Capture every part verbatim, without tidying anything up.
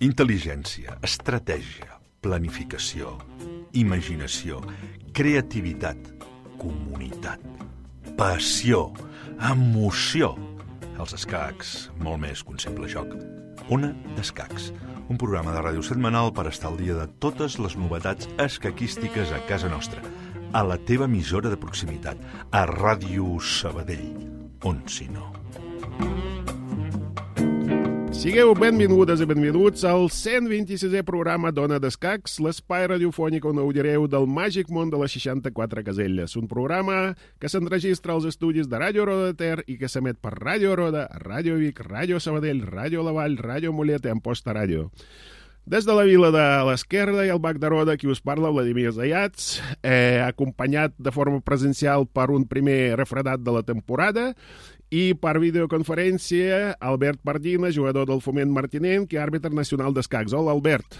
Intel·ligència, estratègia, planificació, imaginació, creativitat, comunitat, passió, emoció. Els escacs, molt més que un simple joc. Ona d'Escacs, un programa de ràdio setmanal per estar al dia de totes les novetats escaquístiques a casa nostra, a la teva emissora de proximitat, a Ràdio Sabadell, on si no. Sigueu benvingudes i benvinguts al cent vint-i-sisè programa d'Ona d'Escacs, l'espai radiofònic on gaudireu del màgic món de les seixanta-quatre caselles. Un programa que s'enregistra als estudis de Ràdio Roda de Ter i que s'emet per Ràdio Roda, Ràdio Vic, Ràdio Sabadell, Ràdio La Vall, Ràdio Mollet i Amposta Ràdio. Des de la vila de l'Esquerda i el Bac de Roda, qui us parla, Vladimir Zayats, eh, acompanyat de forma presencial per un primer refredat de la temporada, i per videoconferència, Albert Pardina, jugador del Foment Martinenc i àrbitre nacional d'escacs. Hola, Albert.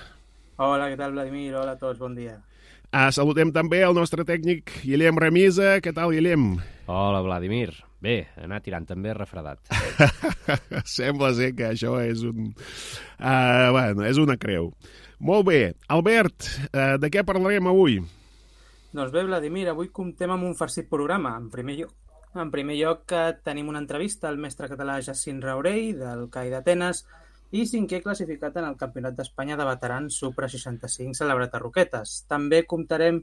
Hola, què tal, Vladimir? Hola a tots, bon dia. Ah, saludem també el nostre tècnic, Guillem Remisa. Què tal, Guillem? Hola, Vladimir. Bé, anar tirant també refredat. Sembla ser que això és un... Uh, bueno, és una creu. Molt bé. Albert, uh, de què parlarem avui? Doncs bé, Vladimir, avui comptem amb un farcit programa. En primer lloc, En primer lloc, tenim una entrevista al mestre català Jacint Raurell, del C A I d'Atenes, i cinquè classificat en el Campionat d'Espanya de Veterans Supra seixanta-cinc celebrat a Roquetes. També comptarem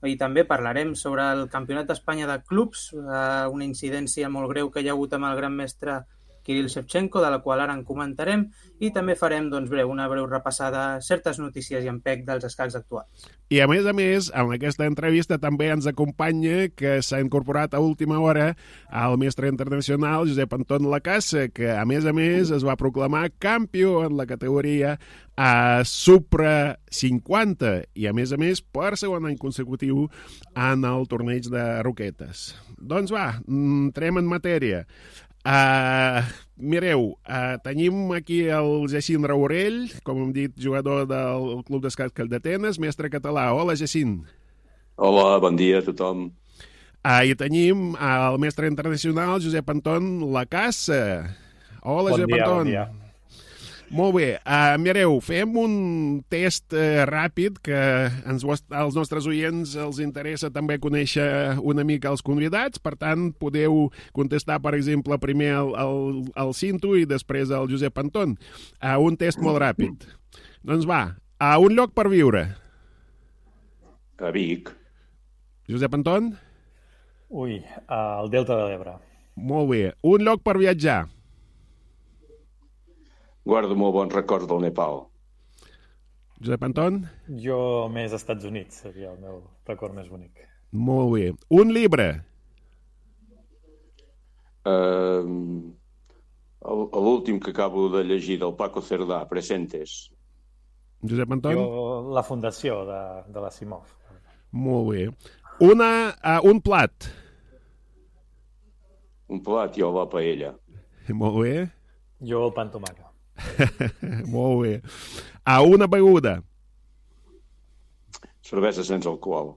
i també parlarem sobre el Campionat d'Espanya de Clubs, una incidència molt greu que hi ha hagut amb el gran mestre Kirill Shevchenko, de la qual ara en comentarem, i també farem doncs, breu, una breu repassada a certes notícies i empec dels escacs actuals. I a més a més, en aquesta entrevista també ens acompanya, que s'ha incorporat a última hora, el mestre internacional Josep Anton Lacassa, que a més a més es va proclamar campió en la categoria a Supra cinquanta i a més a més per segon any consecutiu en el torneig de Roquetes. Doncs va, entrem en matèria. Uh, mireu, uh, tenim aquí el Jacint Raurell, com hem dit, jugador del Club d'Escacs d'Atenes, mestre català. Hola, Jacint. Hola, bon dia a tothom. Uh, I tenim el mestre internacional Josep Anton Lacassa. Hola, bon Josep dia, Anton. Bon dia. Molt bé, uh, mireu, fem un test uh, ràpid que ens, als nostres oients els interessa també conèixer una mica els convidats, per tant podeu contestar, per exemple, primer el, el, el Cinto i després el Josep Anton. Uh, un test molt ràpid. Doncs va, a un lloc per viure. A Vic. Josep Anton? Ui, al Delta de l'Ebre. Molt bé. Un lloc per viatjar. Guardo molt bons records del Nepal. Josep Anton? Jo més als Estats Units, seria el meu record més bonic. Molt bé. Un llibre? Uh, L'últim que acabo de llegir, del Paco Cerdà, Presentes. Josep Anton? Jo, la fundació de, de la Simov. Molt bé. Una, uh, un plat? Un plat, jo la paella. Molt bé. Jo el pa amb tomàquet. Molt bé. A una beguda? Cervesa sense alcohol.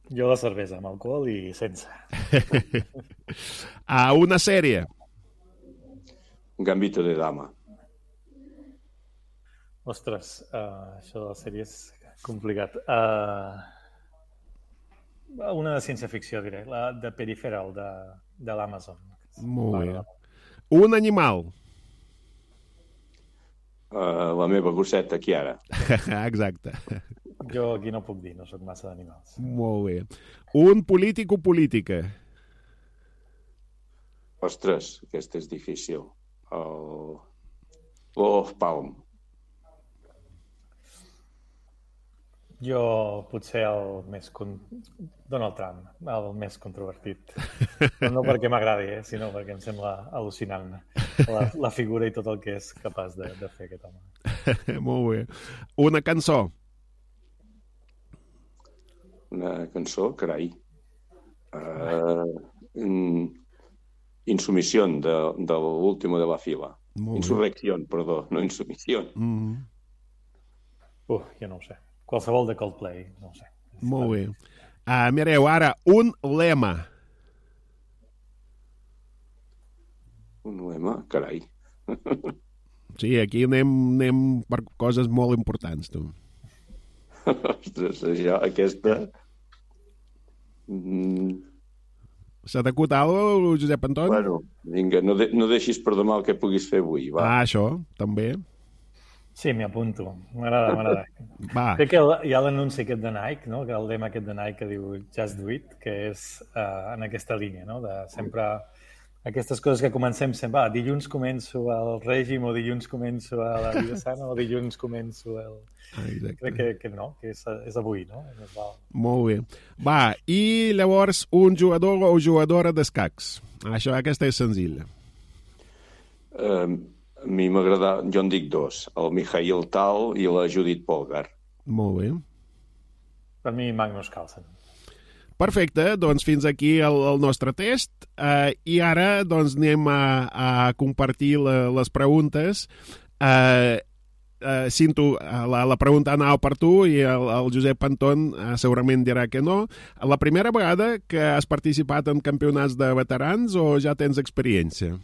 Jo la cervesa amb alcohol i sense. A una sèrie? Gambito de dama. Ostres, uh, això de la sèrie és complicat. Uh, una de ciència-ficció, diré. La de Peripheral, de, de l'Amazon. Molt bé. Un animal? Uh, la meva gosseta, Chiara. Exacte. Jo aquí no puc dir, no soc massa d'animals. Molt bé. Un polític o política? Ostres, aquest és difícil. El... Olof Palme. Jo potser el més... Con... Donald Trump, el més controvertit. Però no perquè m'agradi, eh? Sinó perquè em sembla al·lucinant la, la figura i tot el que és capaç de, de fer aquest home. Molt bé. Una cançó? Una cançó, carai. Uh, Insumisión, de, de l'último de la fila. Insurrección, perdó, no insumisión. Mm-hmm. Uh, jo no ho sé. Qualsevol de Coldplay, no ho sé. Molt bé. Uh, mireu, ara, un lema. Un lema? Carai. Sí, aquí anem, anem per coses molt importants, tu. Ostres, això, aquesta... Mm. S'ha d'acut alguna cosa, Josep Anton? Bueno, vinga, no, de, no deixis per demà el que puguis fer avui, va. Ah, això, també. Sí, m'hi apunto. M'agrada, m'agrada. Va. Crec que hi ha l'anunci aquest de Nike, no? Que el lema aquest de Nike que diu Just Do It, que és uh, en aquesta línia, no? De sempre aquestes coses que comencem sempre, ah, dilluns començo el règim o dilluns començo a la vida sana o dilluns començo el... Ah, exacte. Crec que, que no, que és, és avui, no? Molt bé. Va, i llavors un jugador o jugadora d'escacs. Això, aquesta és senzilla. Um, a mi m'agrada, jo en dic dos, el Mikhail Tal i la Judith Polgar. Molt bé. Per mi, Magnus Carlsen. Perfecte, doncs fins aquí el, el nostre test uh, i ara doncs anem a, a compartir la, les preguntes. Uh, uh, Cinto, la, la pregunta anava per tu i el, el Josep Anton uh, segurament dirà que no. La primera vegada que has participat en campionats de veterans o ja tens experiència?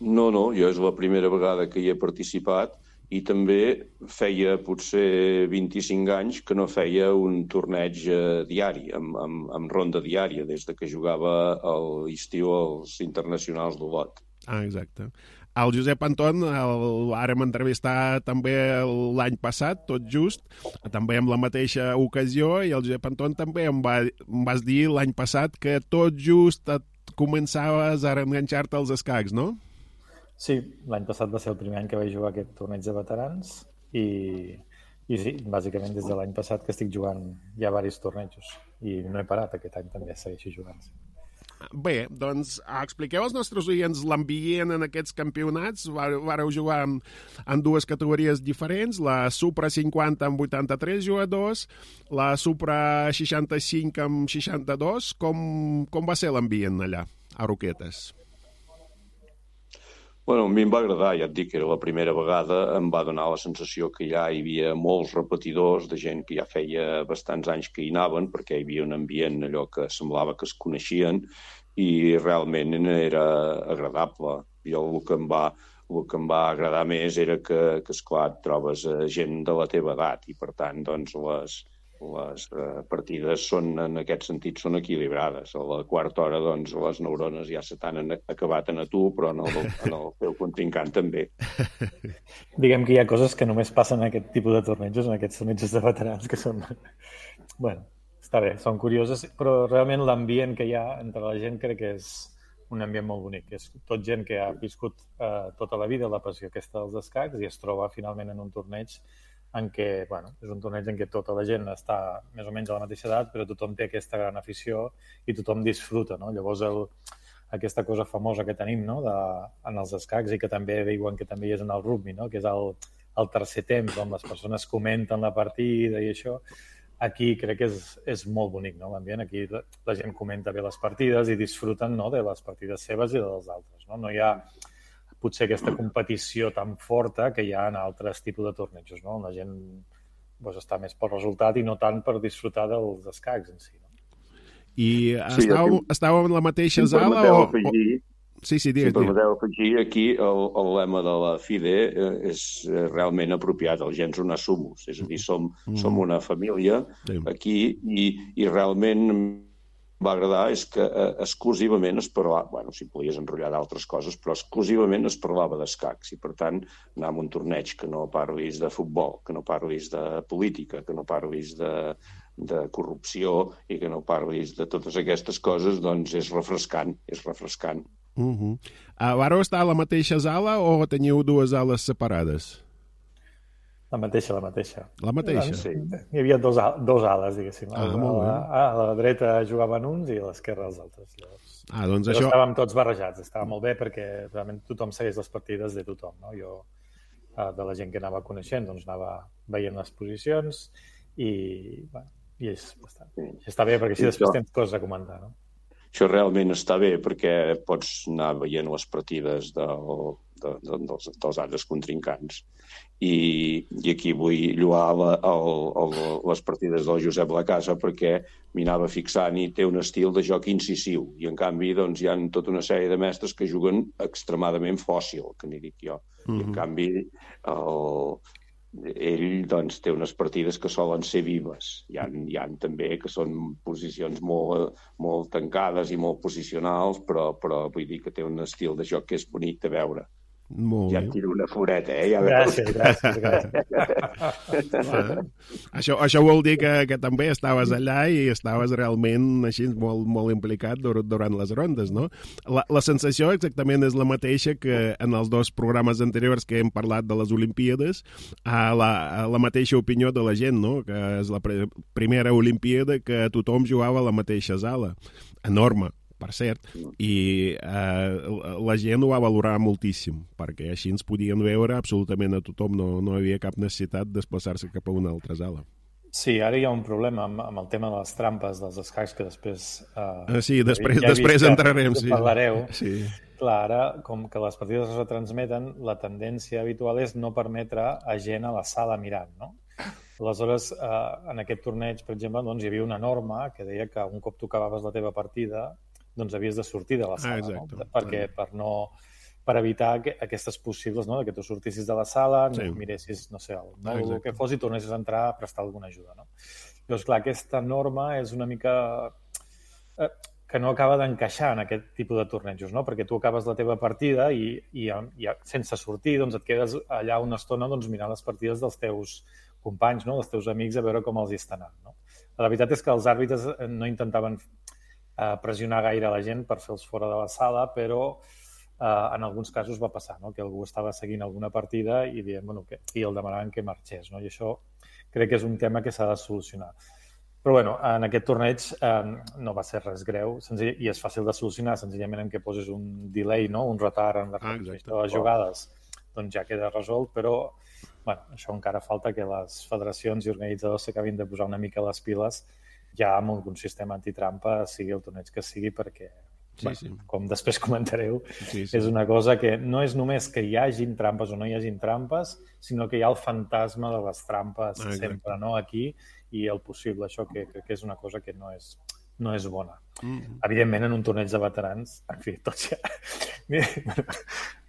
No, no, jo és la primera vegada que hi he participat i també feia potser vint-i-cinc anys que no feia un torneig eh, diari, amb, amb, amb ronda diària, des de que jugava a l'estiu als internacionals d'Olot. Ah, exacte. El Josep Anton el vàrem entrevistar també l'any passat, tot just, també amb la mateixa ocasió, i el Josep Anton també em, va, em vas dir l'any passat que tot just et començaves a enganxar-te als escacs, no? Sí, l'any passat va ser el primer any que vaig jugar aquest torneig de veterans i, i sí, bàsicament des de l'any passat que estic jugant ja diversos tornejos i no he parat, aquest any també segueixo jugant. Bé, doncs expliqueu als nostres oients l'ambient en aquests campionats. Vareu jugar en, en dues categories diferents, la Supra cinquanta amb vuitanta-tres jugadors, la Supra seixanta-cinc amb seixanta-dos. Com, com va ser l'ambient allà, a Roquetes? Bueno, a mi em va agradar, ja et dic, era la primera vegada, em va donar la sensació que ja hi havia molts repetidors de gent que ja feia bastants anys que hi anaven, perquè hi havia un ambient allò que semblava que es coneixien i realment era agradable. Jo el que em va, el que em va agradar més era que, que esclar, et trobes gent de la teva edat i, per tant, doncs, les, les eh, partides són, en aquest sentit, són equilibrades. A la quarta hora, doncs, les neurones ja se t'han acabat en a tu, però en el, en el teu contrincant també. Diguem que hi ha coses que només passen en aquest tipus de tornejos, en aquests tornejos de veterans, que són... bueno, està bé, són curioses, però realment l'ambient que hi ha entre la gent crec que és un ambient molt bonic. És tot gent que ha viscut eh, tota la vida la passió aquesta dels escacs i es troba finalment en un torneig en què, bueno, és un torneig en què tota la gent està més o menys a la mateixa edat, però tothom té aquesta gran afició i tothom disfruta, no? Llavors, el, aquesta cosa famosa que tenim, no?, de, en els escacs i que també diuen que també hi és en el rugby, no?, que és el, el tercer temps, on les persones comenten la partida i això. Aquí crec que és, és molt bonic, no?, l'ambient. Aquí la, la gent comenta bé les partides i disfruten, no?, de les partides seves i de les altres, no? No hi ha potser aquesta competició tan forta que hi ha en altres tipus de tornejos, no? La gent doncs, està més pel resultat i no tant per disfrutar dels escacs en si. No? I sí, estàveu, aquí, estàveu en la mateixa si sala o... Afegir, sí, sí, digues, si permeteu afegir, aquí el, el lema de la FIDE és realment apropiat, el gens una sumus, és a dir, som, mm. som una família sí. aquí i, i realment va agradar és que eh, exclusivament es parlava, bueno, si podies enrotllar d'altres coses, però exclusivament es parlava d'escacs i, per tant, anar a un torneig que no parlis de futbol, que no parlis de política, que no parlis de, de corrupció i que no parlis de totes aquestes coses, doncs és refrescant, és refrescant. Uh-huh. Uh, vareu estar a la mateixa sala o teniu dues ales separades? La mateixa, la mateixa. La mateixa? Sí. Hi havia dos, dos ales, diguéssim. Ah, a, molt bé. A, a la dreta jugaven uns i a l'esquerra els altres. Llavors, ah, doncs això... això... estàvem tots barrejats. Estava molt bé perquè realment tothom segueix les partides de tothom. No? Jo, de la gent que anava coneixent, doncs anava veient les posicions i, bueno, i és, està, està bé perquè així després tens coses a comentar, no? Això realment està bé perquè pots anar veient les partides del, de, de, dels, dels altres contrincants. I, i aquí vull lloar la, el, el, les partides del Josep Lacasa perquè m'hi anava fixant i té un estil de joc incisiu i en canvi doncs, hi ha tota una sèrie de mestres que juguen extremadament fòssil, que n'hi dic jo. Mm-hmm. I en canvi el, ell doncs, té unes partides que solen ser vives. Hi ha, hi ha també que són posicions molt, molt tancades i molt posicionals, però, però vull dir que té un estil de joc que és bonic de veure. Molt ja et tiro una foreta, eh? Ja gràcies, gràcies, gràcies. Ah, això, això vol dir que, que també estaves allà i estaves realment així molt, molt implicat dur, durant les rondes, no? La, la sensació exactament és la mateixa que en els dos programes anteriors que hem parlat de les Olimpíades, a la, a la mateixa opinió de la gent, no? Que és la pre primera Olimpíada que tothom jugava a la mateixa sala. Enorme, per cert, i eh, la gent ho va valorar moltíssim, perquè així ens podien veure absolutament a tothom, no, no hi havia cap necessitat de desplaçar-se cap a una altra sala. Sí, ara hi ha un problema amb, amb el tema de les trampes dels escacs que després... Eh, sí, després, ja després entrarem. Que sí. parlareu. Sí. Clar, ara, com que les partides es retransmeten, la tendència habitual és no permetre a gent a la sala mirant, no? Aleshores, eh, en aquest torneig, per exemple, doncs, hi havia una norma que deia que un cop tu acabaves la teva partida doncs havies de sortir de la sala, ah, exacte, no? Perquè per, no, per evitar que, aquestes possibles, no? Que tu sortissis de la sala, sí. miressis, no sé, el, no, ah, el que fos i tornessis a entrar a prestar alguna ajuda, no? Llavors, clar, aquesta norma és una mica... Eh, que no acaba d'encaixar en aquest tipus de tornejos, no? Perquè tu acabes la teva partida i, i, i sense sortir doncs et quedes allà una estona doncs, mirant les partides dels teus companys, no? Dels teus amics, a veure com els hi està anant, no? La veritat és que els àrbitres no intentaven a pressionar gaire a la gent per fer-los fora de la sala, però eh, en alguns casos va passar, no? Que algú estava seguint alguna partida i, dient, bueno, que, i el demanaven que marxés. No? I això crec que és un tema que s'ha de solucionar. Però bueno, en aquest torneig eh, no va ser res greu senzill, i és fàcil de solucionar senzillament en què poses un delay, no? Un retard en la ah, de les jugades, doncs ja queda resolt, però bueno, això encara falta que les federacions i organitzadors s'acabin de posar una mica les piles ja amb algun sistema antitrampa, sigui el torneig que sigui, perquè, sí, bueno, sí. com després comentareu, sí, sí. és una cosa que no és només que hi hagin trampes o no hi hagin trampes, sinó que hi ha el fantasma de les trampes ah, sempre, no?, aquí, i el possible, això que crec que és una cosa que no és, no és bona. Mm-hmm. Evidentment, en un torneig de veterans, en fi, tots ja...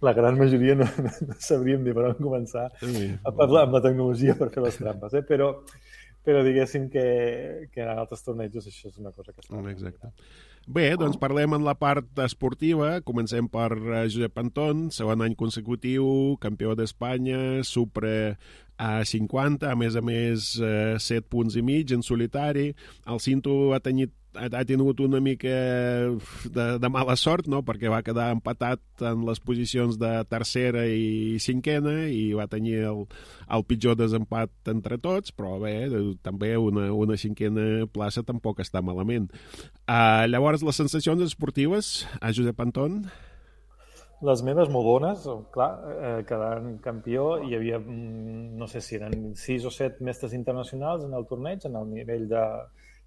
la gran majoria no, no sabríem ni per on començar sí. a parlar amb la tecnologia per fer les trampes, eh? però... però diguéssim que, que en altres tornejos això és una cosa que està... Exacte. Bé, doncs parlem en la part esportiva. Comencem per Josep Anton, segon any consecutiu, campió d'Espanya, Supra a cinquanta, a més a més eh, set punts i mig en solitari. El Cinto ha tenit ha tingut una mica de, de mala sort, no? Perquè va quedar empatat en les posicions de tercera i cinquena i va tenir el, el pitjor desempat entre tots, però bé, també una, una cinquena plaça tampoc està malament. Uh, llavors, les sensacions esportives a Josep Anton? Les meves molt bones, clar, eh, quedant campió, hi havia, no sé si eren sis o set mestres internacionals en el torneig, en el nivell de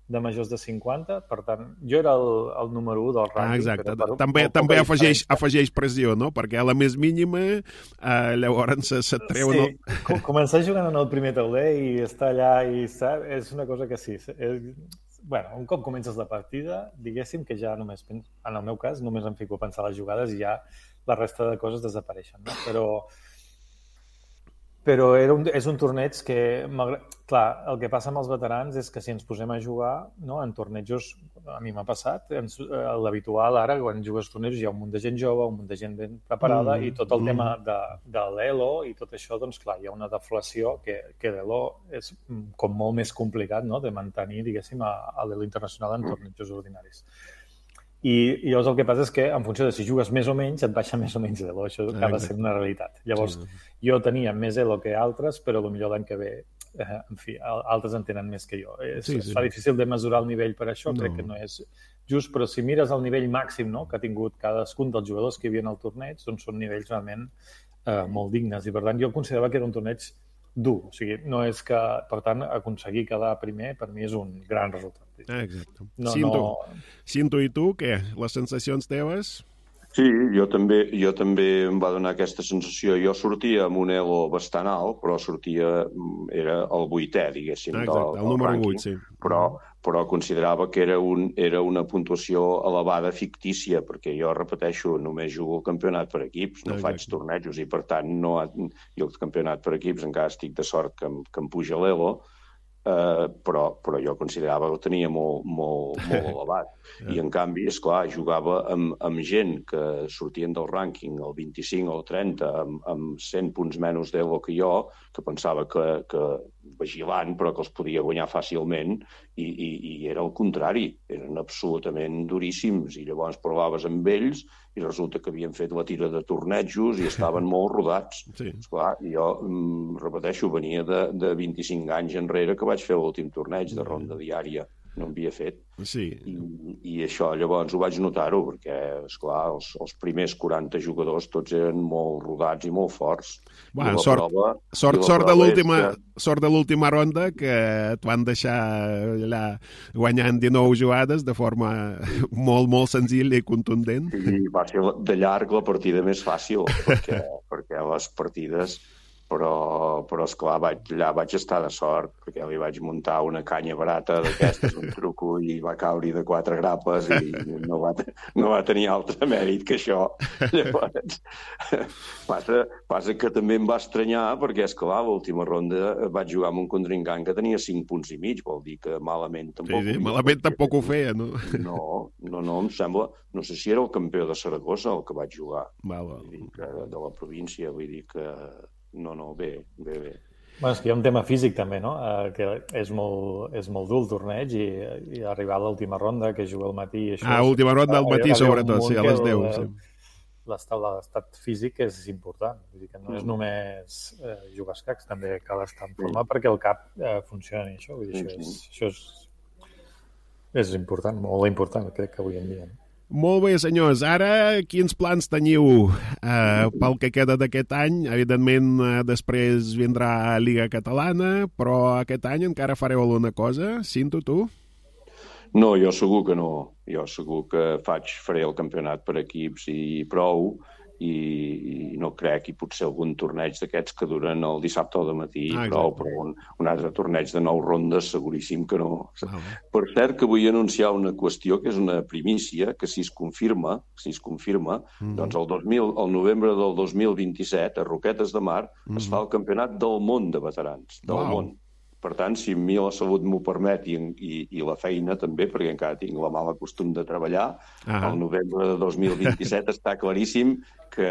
de majors de cinquanta, per tant, jo era el, el número u del rànquing. Ah, exacte. Per, també també afegeix, afegeix pressió, no? Perquè a la més mínima, eh, llavors se, se treu... Sí, el... començar jugant en el primer tauler i estar allà i sap, és una cosa que sí. És... Bueno, un cop comences la partida, diguéssim que ja només, en el meu cas, només em fico a pensar les jugades i ja la resta de coses desapareixen, no? Però... Però era un, és un torneig que, clar, el que passa amb els veterans és que si ens posem a jugar, no, en tornejos, a mi m'ha passat, l'habitual ara, quan jugues tornejos hi ha un munt de gent jove, un munt de gent ben preparada mm, i tot el mm. tema de, de l'Elo i tot això, doncs clar, hi ha una deflació que, que l'Elo és com molt més complicat, no?, de mantenir, diguéssim, a, a l'Elo internacional en tornejos ordinaris. I, I llavors el que passa és que, en funció de si jugues més o menys, et baixa més o menys Elo. Això acaba sent una realitat. Llavors, sí. jo tenia més Elo que altres, però potser l'any que ve, eh, en fi, altres en tenen més que jo. És, sí, sí. Es fa difícil de mesurar el nivell per això, no. Crec que no és just, però si mires el nivell màxim, no?, que ha tingut cadascun dels jugadors que hi havia al torneig, doncs són nivells realment eh, molt dignes. I per tant, jo considerava que era un torneig dur. O sigui, no és que, per tant, aconseguir quedar primer, per mi és un gran resultat. Ah, exacte. No, Cinto, no... Cinto i tu, què? Les sensacions teves? Sí, jo també, jo també em va donar aquesta sensació. Jo sortia amb un ego bastant alt, però sortia, era el vuitè, diguéssim, Ah, del, exacte, el del número rànquing, vuit, sí. però, però considerava que era, un, era una puntuació elevada fictícia, perquè jo, repeteixo, només jugo el campionat per equips, no Exacte. faig tornejos, i per tant, no, jo el campionat per equips encara estic de sort que em, que em puja l'ego, Uh, però, però jo considerava que ho tenia molt, molt, molt elevat. I, en canvi, és clar, jugava amb, amb gent que sortien del rànquing el vint-i-cinc o el trenta, amb, amb cent punts menys d'ego que jo, que pensava que, que vigilant, però que els podia guanyar fàcilment, i, i, i era el contrari. Eren absolutament duríssims, i llavors provaves amb ells, i resulta que havien fet la tira de tornejos i estaven molt rodats. Sí. Esclar, jo, mm, repeteixo, venia de, de vint-i-cinc anys enrere que vaig fer l'últim torneig de ronda diària. No havia fet. Sí. I, i això llavors ho vaig notar-ho, perquè, esclar, els, els primers quaranta jugadors tots eren molt rodats i molt forts. Bueno, I la sort, prova, sort, i la sort, de prova l'última, és que... sort de l'última ronda, que et van deixar allà guanyant dinou jugades de forma molt, molt senzilla i contundent. I va ser de llarg la partida més fàcil, perquè, perquè les partides... Però, però esclar, vaig, allà vaig estar de sort, perquè li vaig muntar una canya barata d'aquestes, un truco, i va caure de quatre grapes i no va, no va tenir altre mèrit que això. Llavors, passa, passa que també em va estranyar, perquè, esclar, l'última ronda vaig jugar amb un contrincant que tenia cinc punts i mig, vol dir que malament tampoc... Sí, sí, malament tampoc ho feia, no? No, no, no, em sembla... No sé si era el campió de Saragossa el que vaig jugar, Val, val. vull dir que, de la província, vull dir que... No, no, bé, bé, bé. Bueno, és que hi ha un tema físic també, no? Uh, que és molt, és molt dur el torneig i, i arribar a l'última ronda, que juga al matí... Això Ah, és, última ronda al matí, arribar sobretot, sí, a les deu. El, Sí. L'estat l'estat físic és important. Vull dir que no és només eh, jugar escacs, també cal estar en forma perquè el cap eh, funcioni, això. Vull dir, això, és, això és, és important, molt important, crec que avui en dia. Molt bé, senyors. Ara, quins plans teniu eh, pel que queda d'aquest any? Evidentment, eh, després vindrà Lliga Catalana, però aquest any encara fareu alguna cosa? Cinto, tu? No, jo segur que no. Jo segur que faig, faré el campionat per equips i prou, i, i no crec, i potser algun torneig d'aquests que duren el dissabte al matí, Ah, prou, exacte. però un, un altre torneig de nou rondes seguríssim que no. Ah, Per cert, que vull anunciar una qüestió que és una primícia, que si es confirma, si es confirma, Mhm. doncs el, dos mil, el novembre del dos mil vint-i-set, a Roquetes de Mar, es fa el campionat del món de veterans, del Uau. món. Per tant, si a mi la salut m'ho permet i, i, i la feina també, perquè encara tinc la mala costum de treballar, Ah. el novembre de dos mil vint-i-set està claríssim que,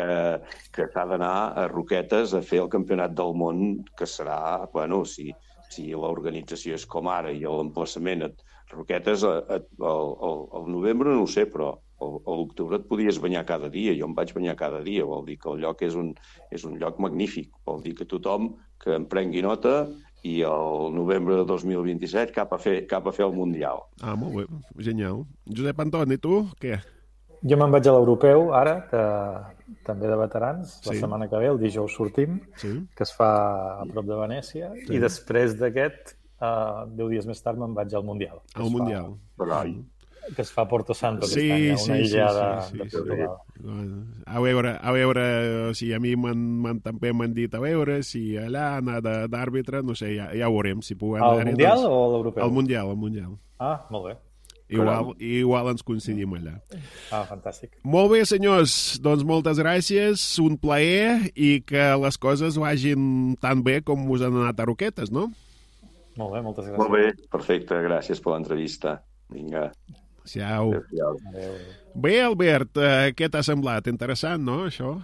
que s'ha d'anar a Roquetes a fer el campionat del món, que serà, bueno, si, si l'organització és com ara i l'emplaçament a Roquetes, a, a, el, el, el novembre no ho sé, però a l'octubre et podies banyar cada dia. Jo em vaig banyar cada dia, vol dir que el lloc és un, és un lloc magnífic. Vol dir que tothom que en prengui nota i el novembre de dos mil vint-i-set cap a fer, cap a fer el Mundial. Ah, molt bé, genial. Josep Antoni, tu, què? Jo me'n vaig a l'europeu, ara, que, també de veterans. La Sí. setmana que ve, el dijous sortim, Sí. que es fa a prop de Venècia, Sí. i després d'aquest, uh, deu dies més tard, me'n vaig al Mundial. que Al es fa- Mundial. Carai. Que es fa a Porto Santo aquest Sí, any, a una sí, sí, illa sí, de, sí, de sí. Portugal. Bueno, a veure, a veure, o sigui, a mi m'han, m'han, també m'han dit a veure si allà anar de- d'àrbitre, no sé, ja, ja ho veurem, si puguem Al anar-hi, Mundial doncs, o a l'europeu? al Mundial, al Mundial. Ah, molt bé. Igual, igual ens coincidim allà. Ah, fantàstic. Molt bé, senyors, doncs moltes gràcies, un plaer i que les coses vagin tan bé com us han anat a Roquetes, no? Molt bé, moltes gràcies. Molt bé, perfecte, gràcies per l'entrevista. Vinga, Siau. adéu-siau. Adéu. Bé, Albert, eh, què t'ha semblat? Interessant, no, això?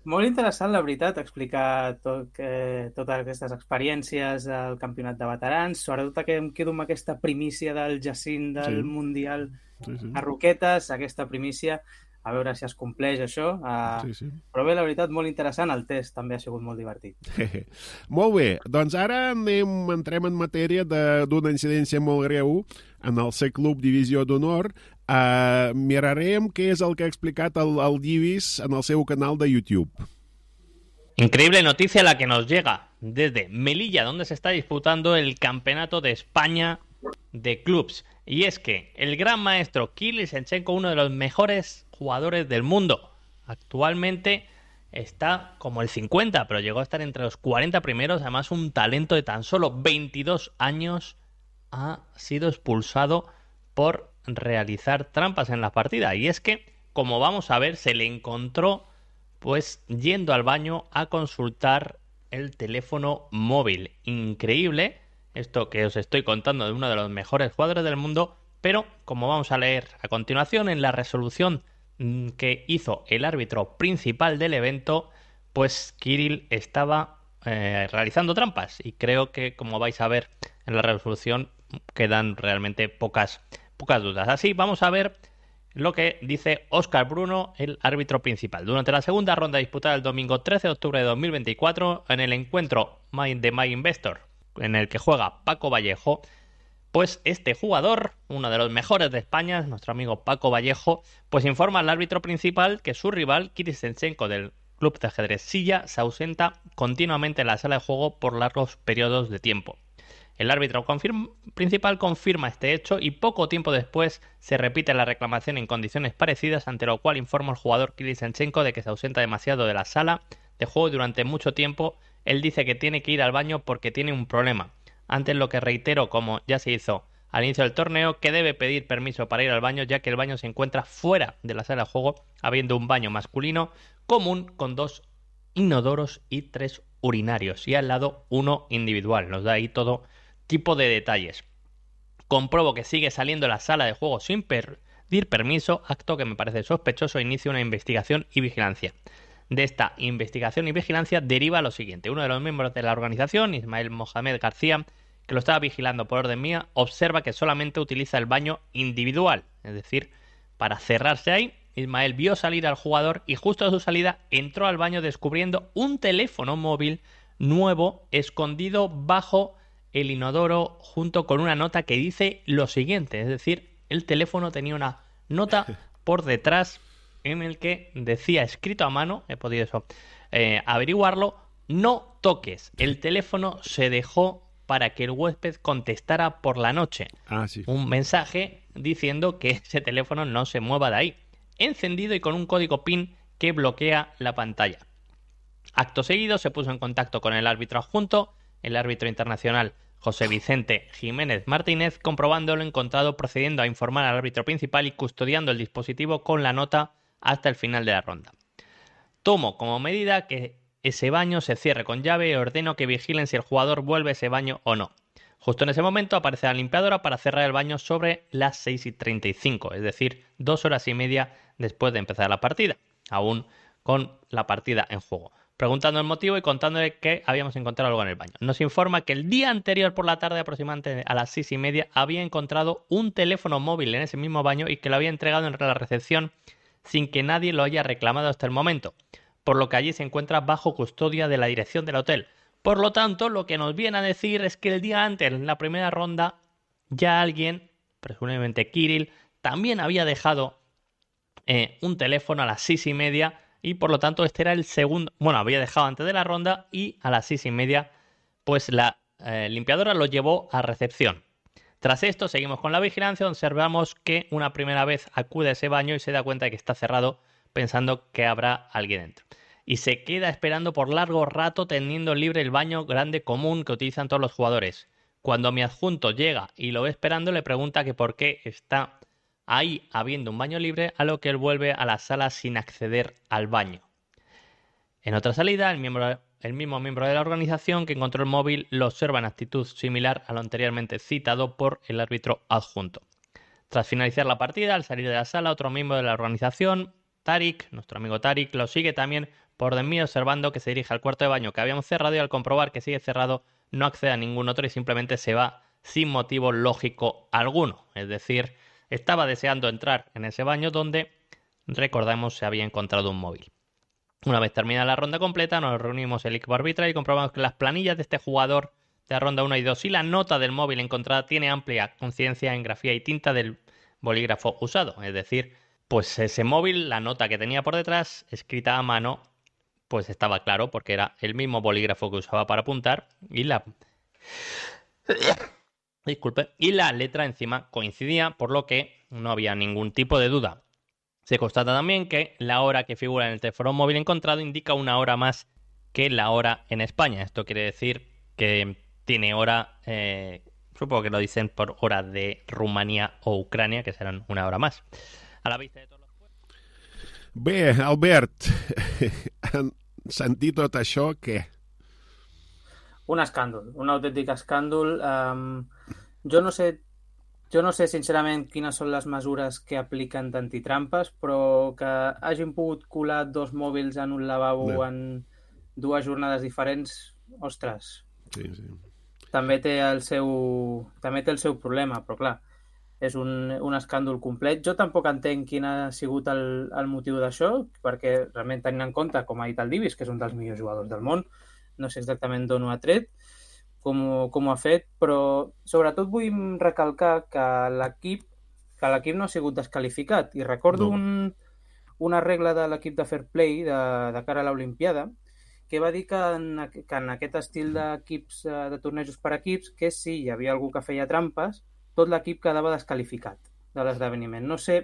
Molt interessant, la veritat, explicar tot, que, totes aquestes experiències al campionat de veterans, sobretot que em quedo amb aquesta primícia del Jacint del Sí. Mundial Sí, sí. a Roquetes, aquesta primícia, a veure si es compleix això. Uh, Sí, sí. Però bé, la veritat, molt interessant. El test també ha sigut molt divertit. Molt bé, doncs ara anem, entrem en matèria de- d'una incidència molt greu en el C-Club Divisió d'Honor. Uh, mirarem què és el que ha explicat el, el Divis en el seu canal de YouTube. Increíble noticia la que nos llega desde Melilla, donde se está disputando el Campeonato de España de Clubs. Y es que el gran maestro Kirill Senchenko, uno de los mejores jugadores del mundo, actualmente está como el cincuenta, pero llegó a estar entre los cuarenta primeros. Además, un talento de tan solo veintidós años ha sido expulsado por realizar trampas en la partida. Y es que, como vamos a ver, se le encontró pues yendo al baño a consultar el teléfono móvil. Increíble esto que os estoy contando de uno de los mejores jugadores del mundo, pero como vamos a leer a continuación en la resolución que hizo el árbitro principal del evento, pues Kirill estaba eh, realizando trampas, y creo que, como vais a ver en la resolución, quedan realmente pocas, pocas dudas. Así vamos a ver lo que dice Óscar Bruno, el árbitro principal. Durante la segunda ronda disputada el domingo trece de octubre de dos mil veinticuatro, en el encuentro de My Investor, en el que juega Paco Vallejo, pues este jugador, uno de los mejores de España, nuestro amigo Paco Vallejo, pues informa al árbitro principal que su rival, Kirill Senchenko del club de ajedrez Silla, se ausenta continuamente en la sala de juego por largos periodos de tiempo. El árbitro confirma, principal confirma este hecho, y poco tiempo después se repite la reclamación en condiciones parecidas, ante lo cual informa al jugador Kirill Senchenko de que se ausenta demasiado de la sala de juego durante mucho tiempo. Él dice que tiene que ir al baño porque tiene un problema. Antes lo que reitero, como ya se hizo al inicio del torneo, que debe pedir permiso para ir al baño, ya que el baño se encuentra fuera de la sala de juego, habiendo un baño masculino común con dos inodoros y tres urinarios, y al lado uno individual. Nos da ahí todo tipo de detalles. Compruebo que sigue saliendo de la sala de juego sin pedir permiso, acto que me parece sospechoso. Inicio una investigación y vigilancia. De esta investigación y vigilancia deriva lo siguiente: uno de los miembros de la organización, Ismael Mohamed García, que lo estaba vigilando por orden mía, observa que solamente utiliza el baño individual, es decir, para cerrarse ahí. Ismael vio salir al jugador y justo a su salida entró al baño descubriendo un teléfono móvil nuevo escondido bajo el inodoro, junto con una nota que dice lo siguiente, es decir, el teléfono tenía una nota por detrás en el que decía, escrito a mano, he podido eso, eh, averiguarlo: no toques, el teléfono se dejó para que el huésped contestara por la noche. Ah, sí. Un mensaje diciendo que ese teléfono no se mueva de ahí, encendido y con un código PIN que bloquea la pantalla. Acto seguido se puso en contacto con el árbitro adjunto, el árbitro internacional José Vicente Jiménez Martínez, comprobando lo encontrado, procediendo a informar al árbitro principal y custodiando el dispositivo con la nota hasta el final de la ronda. Tomo como medida que ese baño se cierre con llave y ordeno que vigilen si el jugador vuelve a ese baño o no. Justo en ese momento aparece la limpiadora para cerrar el baño sobre las seis y treinta y cinco, es decir, dos horas y media después de empezar la partida, aún con la partida en juego. Preguntando el motivo y contándole que habíamos encontrado algo en el baño. Nos informa que el día anterior por la tarde, aproximadamente a las seis y media, había encontrado un teléfono móvil en ese mismo baño y que lo había entregado en la recepción sin que nadie lo haya reclamado hasta el momento, por lo que allí se encuentra bajo custodia de la dirección del hotel. Por lo tanto, lo que nos viene a decir es que el día antes, en la primera ronda, ya alguien, presumiblemente Kirill, también había dejado eh, un teléfono a las seis y media, y por lo tanto este era el segundo, bueno, había dejado antes de la ronda, y a las seis y media pues la eh, limpiadora lo llevó a recepción. Tras esto seguimos con la vigilancia, observamos que una primera vez acude a ese baño y se da cuenta de que está cerrado, pensando que habrá alguien dentro. Y se queda esperando por largo rato, teniendo libre el baño grande común que utilizan todos los jugadores. Cuando mi adjunto llega y lo ve esperando, le pregunta que por qué está ahí habiendo un baño libre, a lo que él vuelve a la sala sin acceder al baño. En otra salida, el, miembro, el mismo miembro de la organización que encontró el móvil lo observa en actitud similar a lo anteriormente citado por el árbitro adjunto. Tras finalizar la partida, al salir de la sala, otro miembro de la organización, Tarik, nuestro amigo Tarik, lo sigue también por de mí, observando que se dirige al cuarto de baño que habíamos cerrado, y al comprobar que sigue cerrado no accede a ningún otro y simplemente se va sin motivo lógico alguno. Es decir, estaba deseando entrar en ese baño donde, recordamos, se había encontrado un móvil. Una vez terminada la ronda completa, nos reunimos el equipo arbitral y comprobamos que las planillas de este jugador de la ronda uno y dos y la nota del móvil encontrada tiene amplia conciencia en grafía y tinta del bolígrafo usado. Es decir, pues ese móvil, la nota que tenía por detrás, escrita a mano, pues estaba claro porque era el mismo bolígrafo que usaba para apuntar, y la... disculpe, y la letra encima coincidía, por lo que no había ningún tipo de duda. Se constata también que la hora que figura en el teléfono móvil encontrado indica una hora más que la hora en España. Esto quiere decir que tiene hora, eh, supongo que lo dicen por hora de Rumanía o Ucrania, que serán una hora más. A la vista de todos los... Bé, Albert, en sentir tot això, què? Un escàndol, un autèntic escàndol. Um, jo no sé jo no sé sincerament quines són les mesures que apliquen d'antitrampes, però que hagin pogut colar dos mòbils en un lavabo no. en dues jornades diferents, ostres. Sí, sí. També té el seu, també té el seu problema, però clar, és un, un escàndol complet. Jo tampoc entenc quin ha sigut el, el motiu d'això, perquè realment tenint en compte, com ha dit el Divis, que és un dels millors jugadors del món, no sé exactament d'on ho ha tret, com, com ho ha fet, però sobretot vull recalcar que l'equip que l'equip no ha sigut desqualificat. I recordo no. un, una regla de l'equip de Fair Play de, de cara a l'Olimpiada que va dir que en, que en aquest estil d'equips, de tornejos per equips, que si hi havia algú que feia trampes, tot l'equip quedava desqualificat de l'esdeveniment. No sé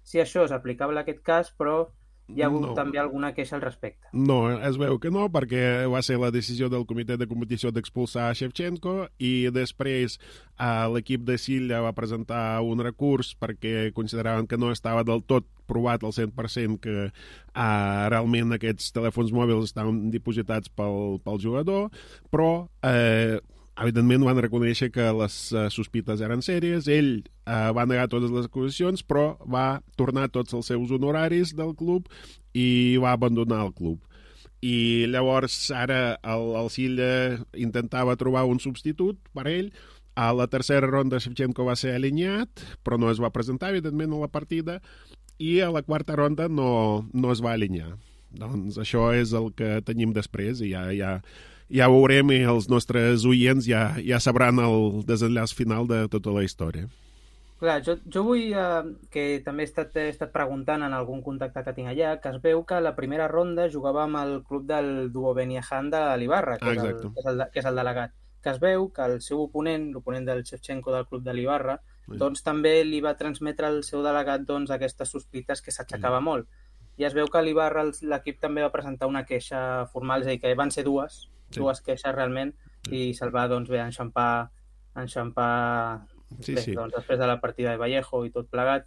si això és aplicable a aquest cas, però hi ha hagut no. també alguna queixa al respecte. No, es veu que no, perquè va ser la decisió del comitè de competició d'expulsar Shevchenko i després eh, l'equip de Silla va presentar un recurs perquè consideraven que no estava del tot provat al cent per cent que eh, realment aquests telèfons mòbils estaven dipositats pel, pel jugador, però eh, evidentment van reconèixer que les uh, sospites eren sèries. Ell uh, va negar totes les acusacions, però va tornar tots els seus honoraris del club i va abandonar el club. I llavors ara el, el Silla intentava trobar un substitut per ell. A la tercera ronda Shevchenko va ser alineat, però no es va presentar, evidentment, a la partida, i a la quarta ronda no, no es va alinear. Doncs això és el que tenim després i ja... ja Ja veurem i els nostres oients ja, ja sabran el desenllaç final de tota la història. Clar, jo, jo vull, eh, que també he estat, he estat preguntant en algun contacte que tinc allà, que es veu que la primera ronda jugava amb el club del Duo Beniahan de l'Ibarra, que, ah, és el, que, és el, que és el delegat. Que es veu que el seu oponent, l'oponent del Shevchenko del club de l'Ibarra, sí. doncs també li va transmetre al seu delegat doncs, aquestes sospites que s'aixecava sí. molt. I es veu que a l'Ibarra l'equip també va presentar una queixa formal, és a dir, que van ser dues, sí. dues queixes realment, sí. i se'l va doncs, bé enxampar, enxampar sí, bé, sí. doncs, després de la partida de Vallejo i tot plegat.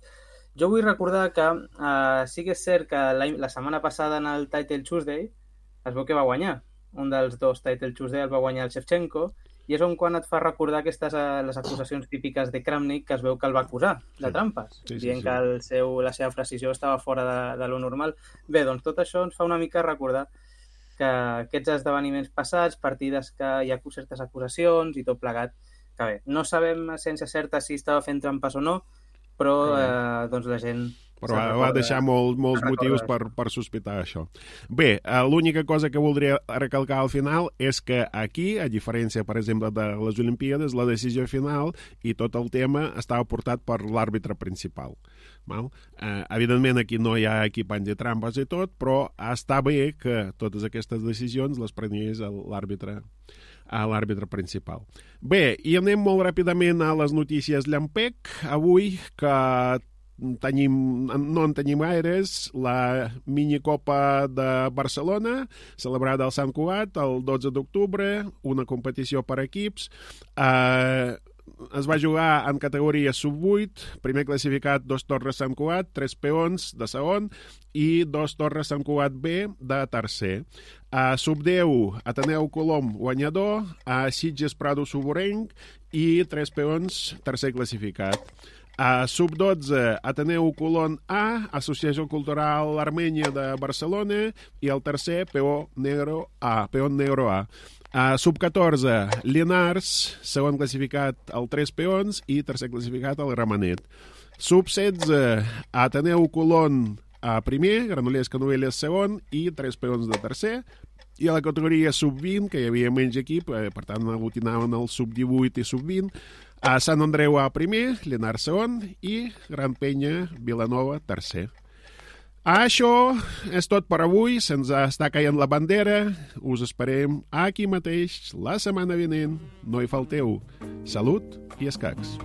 Jo vull recordar que uh, sí que és cert que la, la setmana passada en el Title Tuesday es veu que va guanyar. Un dels dos Title Tuesday el va guanyar el Shevchenko, i és on quan et fa recordar aquestes uh, les acusacions típiques de Kramnik, que es veu que el va acusar de trampes, sí, sí, dient sí. que el seu, la seva precisió estava fora de, de lo normal. Bé, doncs tot això ens fa una mica recordar que aquests esdeveniments passats, partides que hi ha certes acusacions i tot plegat, que bé, no sabem sense certa si estava fent trampes o no, però eh, doncs la gent... Però va, va deixar molt, molts motius per, per sospitar això. Bé, l'única cosa que voldria recalcar al final és que aquí, a diferència, per exemple, de les Olimpíades, la decisió final i tot el tema estava portat per l'àrbitre principal. Val? Eh, evidentment, aquí no hi ha equip antitrampes i tot, però està bé que totes aquestes decisions les prengués l'àrbitre a l'àrbitre principal. Bé, i anem molt ràpidament a les notícies llampec. Avui, que tenim, no en tenim gaires, la minicopa de Barcelona, celebrada al Sant Cugat el dotze d'octubre, una competició per equips. Eh, es va jugar en categoria sub vuit, primer classificat dos Torres Sant Cugat, tres peons de segon i dos Torres Sant Cugat B de tercer. A sub deu, Ateneu Colom guanyador, a Sitges Prado Suborenc i tres peons tercer classificat. A sub dotze, Ateneu Colón A, Associació Cultural Armènia de Barcelona i el tercer, Peó Negro A, Peón Negro A. A sub catorze, Llinars, segon classificat el tres peons i tercer classificat el Gramenet. Sub setze, Ateneu Colón a primer, Granollers Canovelles segon i tres peons de tercer. I a la categoria sub vint, que hi havia menys equip, eh, per tant aglutinaven el sub divuit i sub vint, a Sant Andreu a primer, Llinars segon i Gran Penya Vilanova tercer. Això és tot per avui. Se'ns està caient la bandera. Us esperem aquí mateix la setmana vinent. No hi falteu. Salut i escacs.